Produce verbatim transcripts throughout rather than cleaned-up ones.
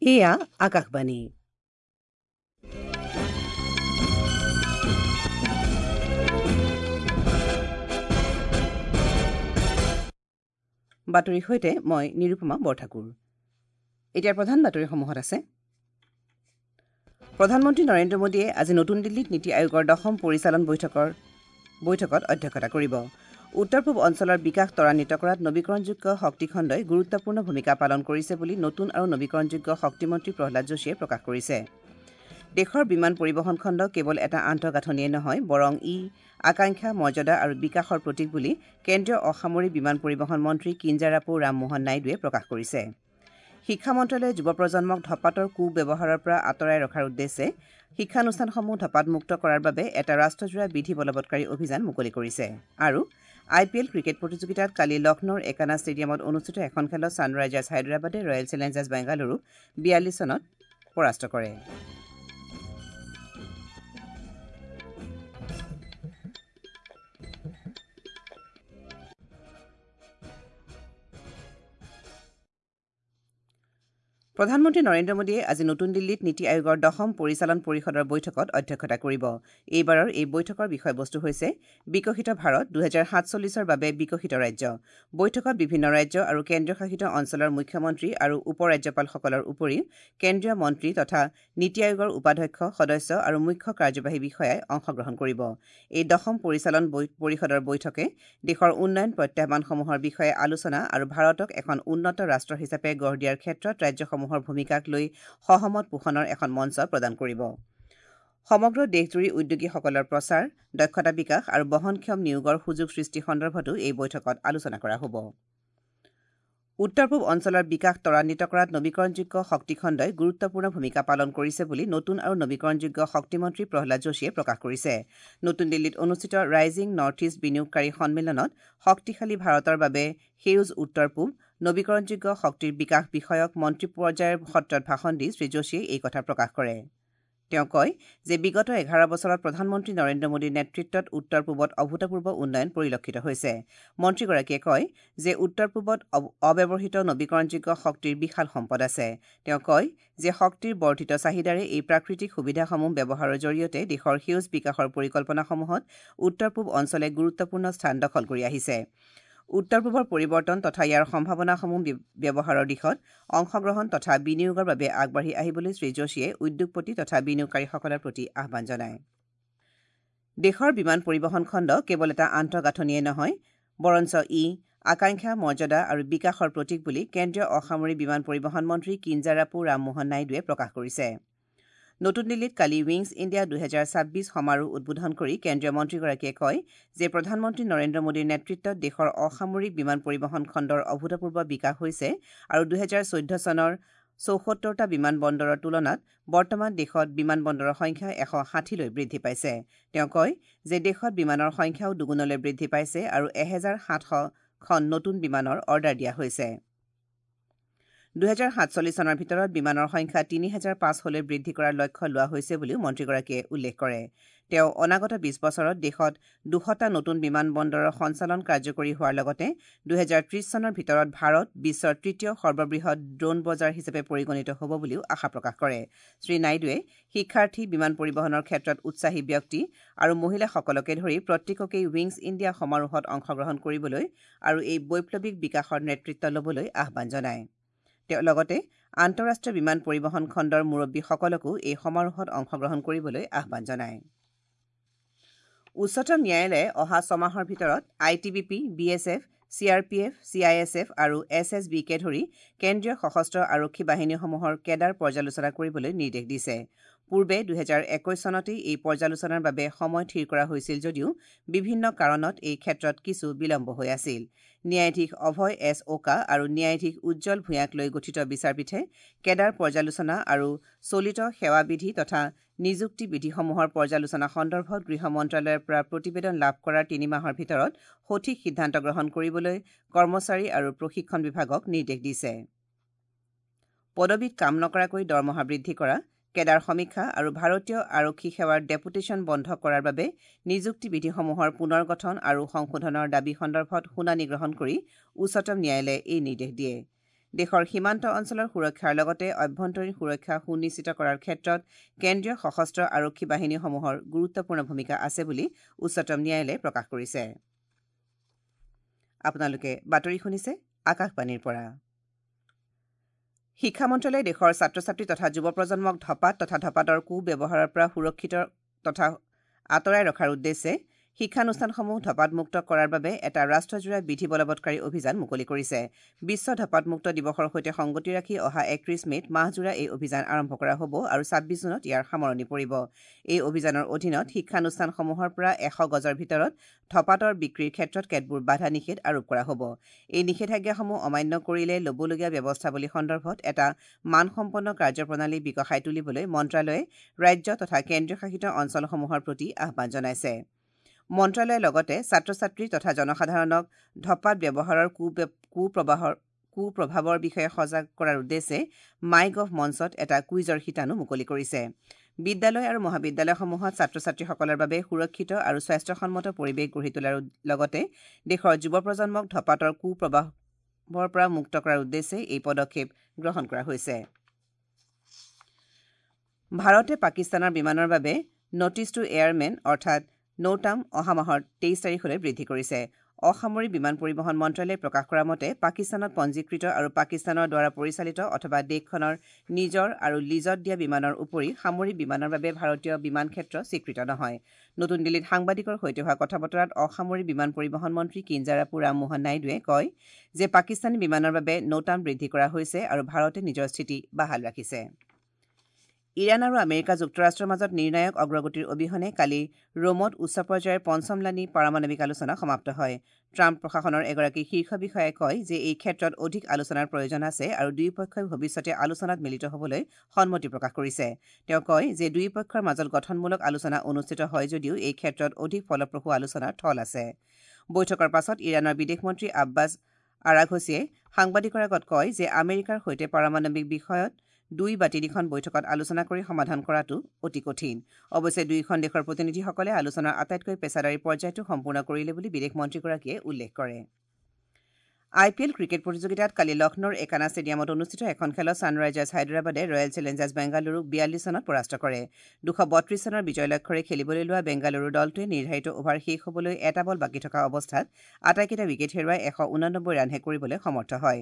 এয়া আকাশবাণী। বাতৰিৰ সৈতে মই নিৰুপমা বৰঠাকুৰ। এতিয়া প্ৰধান বাতৰিসমূহত আছে। প্ৰধানমন্ত্ৰী নৰেন্দ্ৰ মোদীয়ে আজি নতুন দিল্লীত নীতি আয়োগৰ দশম পৰিচালন বৈঠকৰ বৈঠকত অধ্যক্ষতা কৰিব। উত্তৰ পূব অঞ্চলৰ বিকাশ ত্বৰান্বিত কৰাত নবীকৰণযোগ্য শক্তিখণ্ডই গুৰুত্বপূৰ্ণ ভূমিকা পালন কৰিছে বুলি নতুন আৰু নবীকৰণযোগ্য শক্তিমন্ত্ৰী প্ৰহ্লাদ যোশীয়ে প্ৰকাশ কৰিছে। দেশৰ বিমান পৰিবহণ খণ্ড কেৱল এটা আন্তঃগাঁথনিয়েই নহয়, বৰং ই আকাংক্ষা, মৰ্যাদা আৰু বিকাশৰ প্ৰতীক বুলি কেন্দ্ৰীয় অসামৰিক বিমান পৰিবহণ মন্ত্ৰী কিঞ্জাৰাপু ৰামমোহন নাইডুৱে প্ৰকাশ কৰিছে। শিক্ষা মন্ত্ৰালয়ে যুৱ প্ৰজন্মক ধঁপাতৰ কু-ব্যৱহাৰৰ পৰা আঁতৰাই ৰখাৰ উদ্দেশ্যে শিক্ষানুষ্ঠানসমূহ ধঁপাতমুক্ত কৰাৰ বাবে এটা ৰাষ্ট্ৰজোৰা বিধি বলবৎকাৰী অভিযান মুকলি কৰিছে। আৰু আই পি এল ক্ৰিকেট প্ৰতিযোগিতাত কালি লক্ষ্ণৌৰ একানা ষ্টেডিয়ামত অনুষ্ঠিত এখন খেলত ছানৰাইজাৰ্ছ হায়দৰাবাদে ৰয়েল চেলেঞ্জাৰ্ছ বেংগালুৰুক বিয়াল্লিছ ৰানত পৰাস্ত কৰে। প্ৰধানমন্ত্ৰী নৰেন্দ্ৰ মোদীয়ে আজি নতুন দিল্লীত নীতি আয়োগৰ দশম পৰিচালন পৰিষদৰ বৈঠকত অধ্যক্ষতা কৰিব। এইবাৰৰ এই বৈঠকৰ বিষয়বস্তু হৈছে বিকশিত ভাৰত দুহেজাৰ সাতচল্লিছৰ বাবে বিকশিত ৰাজ্য। বৈঠকত বিভিন্ন ৰাজ্য আৰু কেন্দ্ৰীয় শাসিত অঞ্চলৰ মুখ্যমন্ত্ৰী আৰু উপ ৰাজ্যপালসকলৰ উপৰিও কেন্দ্ৰীয় মন্ত্ৰী তথা নীতি আয়োগৰ উপাধ্যক্ষ, সদস্য আৰু মুখ্য কাৰ্যবাহী বিষয়াই অংশগ্ৰহণ কৰিব। এই দশম পৰিচালন পৰিষদৰ বৈঠকে দেশৰ উন্নয়ন প্ৰত্যাহ্বানসমূহৰ বিষয়ে আলোচনা আৰু ভাৰতক এখন উন্নত ৰাষ্ট্ৰ হিচাপে গঢ় দিয়াৰ ক্ষেত্ৰত ৰাজ্যসমূহৰ ভূমিকাক লৈ সহমত পোষণৰ এখন মঞ্চ প্ৰদান কৰিব। সমগ্ৰ দেশজুৰি উদ্যোগীসকলৰ প্ৰচাৰ, দক্ষতা বিকাশ আৰু বহনক্ষম নিয়োগৰ সুযোগ সৃষ্টি সন্দৰ্ভতো এই বৈঠকত আলোচনা কৰা হ'ব। উত্তৰ পূব অঞ্চলৰ বিকাশ ত্বৰান্বিত কৰাত নবীকৰণযোগ্য শক্তিখণ্ডই গুৰুত্বপূৰ্ণ ভূমিকা পালন কৰিছে বুলি নতুন আৰু নবীকৰণযোগ্য শক্তিমন্ত্ৰী প্ৰহ্লাদ যোশীয়ে প্ৰকাশ কৰিছে। নতুন দিল্লীত অনুষ্ঠিত ৰাইজিং নৰ্থ ইষ্ট বিনিয়োগকাৰী সন্মিলনত শক্তিশালী ভাৰতৰ বাবে সেউজ উত্তৰ পূব নবীকৰণযোগ্য শক্তিৰ বিকাশ বিষয়ক মন্ত্ৰী পৰ্যায়ৰ সত্ৰত ভাষণ দি শ্ৰী যোশীয়ে এই কথা প্ৰকাশ কৰে। তেওঁ কয় যে বিগত এঘাৰ বছৰত প্ৰধানমন্ত্ৰী নৰেন্দ্ৰ মোদীৰ নেতৃত্বত উত্তৰ পূবত অভূতপূৰ্ব উন্নয়ন পৰিলক্ষিত হৈছে। মন্ত্ৰীগৰাকীয়ে কয় যে উত্তৰ পূবত অব্যৱহৃত নবীকৰণযোগ্য শক্তিৰ বিশাল সম্পদ আছে। তেওঁ কয় যে শক্তিৰ বৰ্ধিত চাহিদাৰে এই প্ৰাকৃতিক সুবিধাসমূহ ব্যৱহাৰৰ জৰিয়তে দেশৰ সেউজ বিকাশৰ পৰিকল্পনাসমূহত উত্তৰ পূব অঞ্চলে গুৰুত্বপূৰ্ণ স্থান দখল কৰি আহিছে। উত্তৰ পূবৰ পৰিৱৰ্তন তথা ইয়াৰ সম্ভাৱনাসমূহ ব্যৱহাৰৰ দিশত অংশগ্ৰহণ তথা বিনিয়োগৰ বাবে আগবাঢ়ি আহিবলৈ শ্ৰী যোশীয়ে উদ্যোগপতি তথা বিনিয়োগকাৰীসকলৰ প্ৰতি আহ্বান জনায়। দেশৰ বিমান পৰিবহণ খণ্ড কেৱল এটা আন্তঃগাঁথনিয়েই নহয়, বৰঞ্চ ই আকাংক্ষা, মৰ্যাদা আৰু বিকাশৰ প্ৰতীক বুলি কেন্দ্ৰীয় অসামৰিক বিমান পৰিবহণ মন্ত্ৰী কিঞ্জাৰাপু ৰামমোহন নাইডুৱে প্ৰকাশ কৰিছে। নতুন দিল্লীত কালি উইংছ ইণ্ডিয়া দুহেজাৰ ছাব্বিছ সমাৰোহ উদ্বোধন কৰি কেন্দ্ৰীয় মন্ত্ৰীগৰাকীয়ে কয় যে প্ৰধানমন্ত্ৰী নৰেন্দ্ৰ মোদীৰ নেতৃত্বত দেশৰ অসামৰিক বিমান পৰিবহণ খণ্ডৰ অভূতপূৰ্ব বিকাশ হৈছে আৰু দুহেজাৰ চৈধ্য চনৰ চৌসত্তৰটা বিমান বন্দৰৰ তুলনাত বৰ্তমান দেশত বিমান বন্দৰৰ সংখ্যা এশ ষাঠিলৈ বৃদ্ধি পাইছে। তেওঁ কয় যে দেশত বিমানৰ সংখ্যাও দুগুণলৈ বৃদ্ধি পাইছে আৰু এহেজাৰ সাতশখন নতুন বিমানৰ অৰ্ডাৰ দিয়া হৈছে। দুহেজাৰ সাতচল্লিছ চনৰ ভিতৰত বিমানৰ সংখ্যা তিনি হেজাৰ পাঁচশলৈ বৃদ্ধি কৰাৰ লক্ষ্য লোৱা হৈছে বুলিও মন্ত্ৰীগৰাকীয়ে উল্লেখ কৰে। তেওঁ অনাগত বিছ বছৰত দেশত দুশটা নতুন বিমান বন্দৰৰ সঞ্চালন কাৰ্যকৰী হোৱাৰ লগতে দুহেজাৰ ত্ৰিছ চনৰ ভিতৰত ভাৰত বিশ্বৰ তৃতীয় সৰ্ববৃহৎ ড্ৰোন বজাৰ হিচাপে পৰিগণিত হ'ব বুলিও আশা প্ৰকাশ কৰে। শ্ৰী নাইডুৱে শিক্ষাৰ্থী, বিমান পৰিবহণৰ ক্ষেত্ৰত উৎসাহী ব্যক্তি আৰু মহিলাসকলকে ধৰি প্ৰত্যেককেই উইংছ ইণ্ডিয়া সমাৰোহত অংশগ্ৰহণ কৰিবলৈ আৰু এই বৈপ্লৱিক বিকাশৰ নেতৃত্ব ল'বলৈ আহ্বান জনায়। তেওঁ লগতে আন্তঃৰাষ্ট্ৰীয় বিমান পৰিবহণ খণ্ডৰ মুৰব্বীসকলকো এই সমাৰোহত অংশগ্ৰহণ কৰিবলৈ আহ্বান জনায়। উচ্চতম ন্যায়ালয়ে অহা ছমাহৰ ভিতৰত I T B P, B S F, C R P F, C I S F আৰু এছ এছ বিকে ধৰি কেন্দ্ৰীয় সশস্ত্ৰ আৰক্ষী বাহিনীসমূহৰ কেডাৰ পৰ্যালোচনা কৰিবলৈ নিৰ্দেশ দিছে। পূৰ্বে দুহেজাৰ একৈছ চনতেই এই পৰ্যালোচনাৰ বাবে সময় থিৰ কৰা হৈছিল যদিও বিভিন্ন কাৰণত এই ক্ষেত্ৰত কিছু বিলম্ব হৈ আছিল। ন্যায়াধীশ অভয় এছ ওকা আৰু ন্যায়াধীশ উজ্জ্বল ভূঞাক লৈ গঠিত বিচাৰপীঠে কেডাৰ পৰ্যালোচনা আৰু চলিত সেৱাবিধি তথা নিযুক্তি বিধিসমূহৰ পৰ্যালোচনা সন্দৰ্ভত গৃহ মন্ত্ৰালয়ৰ পৰা প্ৰতিবেদন লাভ কৰাৰ তিনি মাহৰ ভিতৰত সঠিক সিদ্ধান্ত গ্ৰহণ কৰিবলৈ কৰ্মচাৰী আৰু প্ৰশিক্ষণ বিভাগক নিৰ্দেশ দিছে। পদবীত কাম নকৰাকৈ দৰমহা বৃদ্ধি কৰা, কেডাৰ সমীক্ষা আৰু ভাৰতীয় আৰক্ষী সেৱাৰ ডেপুটেশ্যন বন্ধ কৰাৰ বাবে নিযুক্তি বিধিসমূহৰ পুনৰ গঠন আৰু সংশোধনৰ দাবী সন্দৰ্ভত শুনানি গ্ৰহণ কৰি উচ্চতম ন্যায়ালয়ে এই নিৰ্দেশ দিয়ে। দেশৰ সীমান্ত অঞ্চলৰ সুৰক্ষাৰ লগতে অভ্যন্তৰীণ সুৰক্ষা সুনিশ্চিত কৰাৰ ক্ষেত্ৰত কেন্দ্ৰীয় সশস্ত্ৰ আৰক্ষী বাহিনীসমূহৰ গুৰুত্বপূৰ্ণ ভূমিকা আছে বুলি উচ্চতম ন্যায়ালয়ে প্ৰকাশ কৰিছে। আপোনালোকে বাতৰি শুনিছে আকাশবাণীৰ পৰা। শিক্ষা মন্ত্ৰালয়ে দেশৰ ছাত্ৰ ছাত্ৰী তথা যুৱ প্ৰজন্মক ধপাত তথা ধপাতৰ কু ব্যৱহাৰৰ পৰা সুৰক্ষিত তথা আঁতৰাই ৰখাৰ উদ্দেশ্যে শিক্ষানুষ্ঠানসমূহ ধপাতমুক্ত কৰাৰ বাবে এটা ৰাষ্ট্ৰজোৰা বিধি বলবৎকাৰী অভিযান মুকলি কৰিছে। বিশ্ব ধপাতমুক্ত দিৱসৰ সৈতে সংগতি ৰাখি অহা একত্ৰিছ মে'ত মাহজোৰা এই অভিযান আৰম্ভ কৰা হ'ব আৰু ছাব্বিছ জুনত ইয়াৰ সামৰণি পৰিব। এই অভিযানৰ অধীনত শিক্ষানুষ্ঠানসমূহৰ পৰা এশ গজৰ ভিতৰত ধপাতৰ বিক্ৰীৰ ক্ষেত্ৰত কেতবোৰ বাধা নিষেধ আৰোপ কৰা হ'ব। এই নিষেধাজ্ঞাসমূহ অমান্য কৰিলে ল'বলগীয়া ব্যৱস্থাৱলী সন্দৰ্ভত এটা মানসম্পন্ন কাৰ্যপ্ৰণালী বিকশাই তুলিবলৈ মন্ত্ৰালয়ে ৰাজ্য তথা কেন্দ্ৰীয় শাসিত অঞ্চলসমূহৰ প্ৰতি আহ্বান জনাইছে। মন্ত্ৰালয়ে লগতে ছাত্ৰ ছাত্ৰী তথা জনসাধাৰণক ধপাত ব্যৱহাৰৰ কুপ্ৰবাহৰ কুপ্ৰভাৱৰ বিষয়ে সজাগ কৰাৰ উদ্দেশ্যে মাই গভ মঞ্চত এটা কুইজৰ শিতানো মুকলি কৰিছে। বিদ্যালয় আৰু মহাবিদ্যালয়সমূহত ছাত্ৰ ছাত্ৰীসকলৰ বাবে সুৰক্ষিত আৰু স্বাস্থ্যসন্মত পৰিৱেশ গঢ়ি তোলাৰ লগতে দেশৰ যুৱ প্ৰজন্মক ধপাতৰ কুপ্ৰভাৱৰ পৰা মুক্ত কৰাৰ উদ্দেশ্যে এই পদক্ষেপ গ্ৰহণ কৰা হৈছে। ভাৰতে পাকিস্তানৰ বিমানৰ বাবে নটিচ টু এয়াৰমেন অৰ্থাৎ নৌটাম অহা মাহৰ তেইছ তাৰিখলৈ বৃদ্ধি কৰিছে। অসামৰিক বিমান পৰিবহণ মন্ত্ৰালয়ে প্ৰকাশ কৰা মতে পাকিস্তানত পঞ্জীকৃত আৰু পাকিস্তানৰ দ্বাৰা পৰিচালিত অথবা দেশখনৰ নিজৰ আৰু লিজত দিয়া বিমানৰ উপৰি সামৰিক বিমানৰ বাবে ভাৰতীয় বিমান ক্ষেত্ৰ স্বীকৃত নহয়। নতুন দিল্লীত সাংবাদিকৰ সৈতে হোৱা কথা বতৰাত অসামৰিক বিমান পৰিবহণ মন্ত্ৰী কিঞ্জাৰাপু ৰামমোহন নাইডুৱে কয় যে পাকিস্তানী বিমানৰ বাবে নৌটাম বৃদ্ধি কৰা হৈছে আৰু ভাৰতে নিজৰ স্থিতি বাহাল ৰাখিছে। ইৰাণ আৰু আমেৰিকা যুক্তৰাষ্ট্ৰৰ মাজত নিৰ্ণায়ক অগ্ৰগতিৰ অবিহনে কালি ৰোমত উচ্চ পৰ্যায়ৰ পঞ্চমলানি পাৰমাণৱিক আলোচনা সমাপ্ত হয়। ট্ৰাম্প প্ৰশাসনৰ এগৰাকী শীৰ্ষ বিষয়াই কয় যে এই ক্ষেত্ৰত অধিক আলোচনাৰ প্ৰয়োজন আছে আৰু দুয়োপক্ষই ভৱিষ্যতে আলোচনাত মিলিত হ'বলৈ সন্মতি প্ৰকাশ কৰিছে। তেওঁ কয় যে দুয়োপক্ষৰ মাজত গঠনমূলক আলোচনা অনুষ্ঠিত হয় যদিও এই ক্ষেত্ৰত অধিক ফলপ্ৰসূ আলোচনাৰ থল আছে। বৈঠকৰ পাছত ইৰাণৰ বিদেশ মন্ত্ৰী আব্বাছ আৰাঘছিয়ে সাংবাদিকৰ আগত কয় যে আমেৰিকাৰ সৈতে পাৰমাণৱিক বিষয়ত দুই বা তিনিখন বৈঠকত আলোচনা কৰি সমাধান কৰাটো অতি কঠিন। অৱশ্যে দুয়োখন দেশৰ প্ৰতিনিধিসকলে আলোচনাৰ আটাইতকৈ পেছাদাৰী পৰ্যায়টো সম্পূৰ্ণ কৰিলে বুলি বিদেশ মন্ত্ৰীগৰাকীয়ে উল্লেখ কৰে। আই পি এল ক্ৰিকেট প্ৰতিযোগিতাত কালি লক্ষ্ণৌৰ একানা ষ্টেডিয়ামত অনুষ্ঠিত এখন খেলত ছানৰাইজাৰ্ছ হায়দৰাবাদে ৰয়েল চেলেঞ্জাৰ্ছ বেংগালুৰুক বিয়াল্লিছ ৰানত পৰাস্ত কৰে। দুশ বত্ৰিছ ৰানৰ বিজয় লক্ষ্যৰে খেলিবলৈ লোৱা বেংগালুৰু দলটোৱে নিৰ্ধাৰিত অভাৰ শেষ হ'বলৈ এটা বল বাকী থকা অৱস্থাত আটাইকেইটা উইকেট হেৰুৱাই এশ ঊনানব্বৈ ৰানহে কৰিবলৈ সমৰ্থ হয়।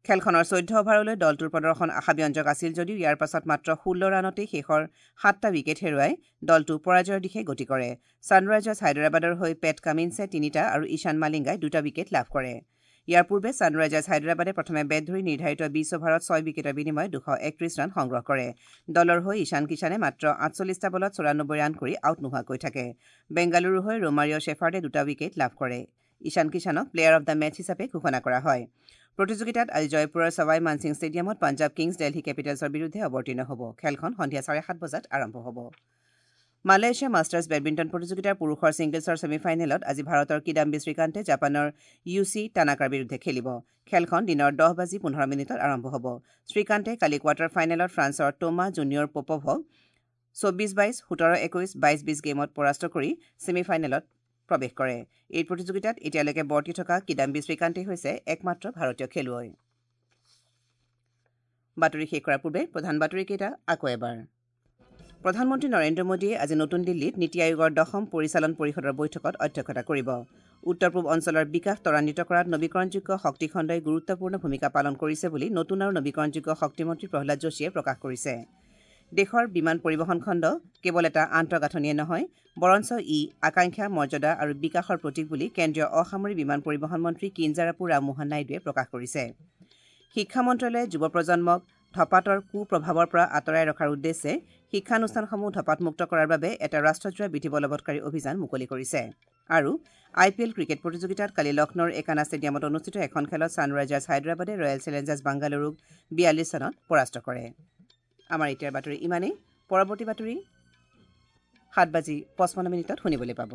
খেলখনৰ চৈধ্য অভাৰলৈ দলটোৰ প্ৰদৰ্শন আশাব্যঞ্জক আছিল যদিও ইয়াৰ পাছত মাত্ৰ ষোল্ল ৰানতেই শেষৰ সাতটা উইকেট হেৰুৱাই দলটো পৰাজয়ৰ দিশে গতি কৰে। ছানৰাইজাৰ্ছ হায়দৰাবাদৰ হৈ পেট কামিন্সে তিনিটা আৰু ঈশান মালিংগাই দুটা উইকেট লাভ কৰে। ইয়াৰ পূৰ্বে ছানৰাইজাৰ্ছ হায়দৰাবাদে প্ৰথমে বেট ধৰি নিৰ্ধাৰিত বিছ অভাৰত ছয় উইকেটৰ বিনিময়ত দুশ একত্ৰিছ ৰান সংগ্ৰহ কৰে। দলৰ হৈ ঈশান কিষাণে মাত্ৰ আঠচল্লিছটা বলত চৌৰানব্বৈ ৰান কৰি আউট নোহোৱাকৈ থাকে। বেংগালুৰুৰ হৈ ৰোমাৰিঅ' শ্বেফাৰ্ডে দুটা উইকেট লাভ কৰে। ঈশান কিষাণক প্লেয়াৰ অব the match হিচাপে ঘোষণা কৰা হয়। প্ৰতিযোগিতাত আজি জয়পুৰৰ ছৱাই মানসিং ষ্টেডিয়ামত পাঞ্জাৱ কিংছ দেলহি কেপিটেলছৰ বিৰুদ্ধে অৱতীৰ্ণ হ'ব। খেলখন সন্ধিয়া চাৰে সাত বজাত আৰম্ভ হ'ব। মালয়েছিয়া মাষ্টাৰ্ছ বেডমিণ্টন প্ৰতিযোগিতাৰ পুৰুষৰ ছিংগলছৰ ছেমি ফাইনেলত আজি ভাৰতৰ কিদাম্বি শ্ৰীকান্তে জাপানৰ ইউচি টানাকাৰ বিৰুদ্ধে খেলিব। খেলখন দিনৰ দহ বাজি পোন্ধৰ মিনিটত আৰম্ভ হ'ব। শ্ৰীকান্তে কালি কোৱাৰ্টাৰ ফাইনেলত ফ্ৰান্সৰ টোমা জুনিয়ৰ পপভক চৌব্বিছ বাইছ, সোতৰ একৈছ, বাইছ বিছ গেমত পৰাস্ত কৰি ছেমি ফাইনেলত প্ৰৱেশ কৰে। এই প্ৰতিযোগিতাত এতিয়ালৈকে বৰ্তি থকা কিদাম্বি শ্ৰীকান্তেই হৈছে একমাত্ৰ ভাৰতীয় খেলুৱৈ। বাতৰি শেষ কৰাৰ পূৰ্বে প্ৰধান বাতৰিকেইটা আকৌ এবাৰ। প্ৰধানমন্ত্ৰী নৰেন্দ্ৰ মোদীয়ে আজি নতুন দিল্লীত নীতি আয়োগৰ দশম পৰিচালন পৰিষদৰ বৈঠকত অধ্যক্ষতা কৰিব। উত্তৰ পূব অঞ্চলৰ বিকাশ ত্বৰান্বিত কৰাত নবীকৰণযোগ্য শক্তিখণ্ডই গুৰুত্বপূৰ্ণ ভূমিকা পালন কৰিছে বুলি নতুন আৰু নবীকৰণযোগ্য শক্তিমন্ত্ৰী প্ৰহ্লাদ যোশীয়ে প্ৰকাশ কৰিছে। দেশৰ বিমান পৰিবহণ খণ্ড কেৱল এটা আন্তঃগাঁথনিয়ে নহয়, বৰঞ্চ ই আকাংক্ষা, মৰ্যাদা আৰু বিকাশৰ প্ৰতীক বুলি কেন্দ্ৰীয় অসামৰিক বিমান পৰিবহণ মন্ত্ৰী কিঞ্জাৰাপু ৰামমোহন নাইডুৱে প্ৰকাশ কৰিছে। শিক্ষা মন্ত্ৰালয়ে যুৱ প্ৰজন্মক ধপাতৰ কুপ্ৰভাৱৰ পৰা আঁতৰাই ৰখাৰ উদ্দেশ্যে শিক্ষানুষ্ঠানসমূহ ধপাতমুক্ত কৰাৰ বাবে এটা ৰাষ্ট্ৰজোৰা বিধি বলবৎকাৰী অভিযান মুকলি কৰিছে। আৰু আই পি এল ক্ৰিকেট প্ৰতিযোগিতাত কালি লক্ষ্ণৌৰ একানা ষ্টেডিয়ামত অনুষ্ঠিত এখন খেলত ছানৰাইজাৰ্ছ হায়দৰাবাদে ৰয়েল চেলেঞ্জাৰ্ছ বাংগালুৰুক বিয়াল্লিছ ৰানত পৰাস্ত কৰে। আমাৰ এতিয়াৰ বাতৰি ইমানেই। পৰৱৰ্তী বাতৰি সাত বাজি পঁচপন্ন মিনিটত শুনিবলৈ পাব।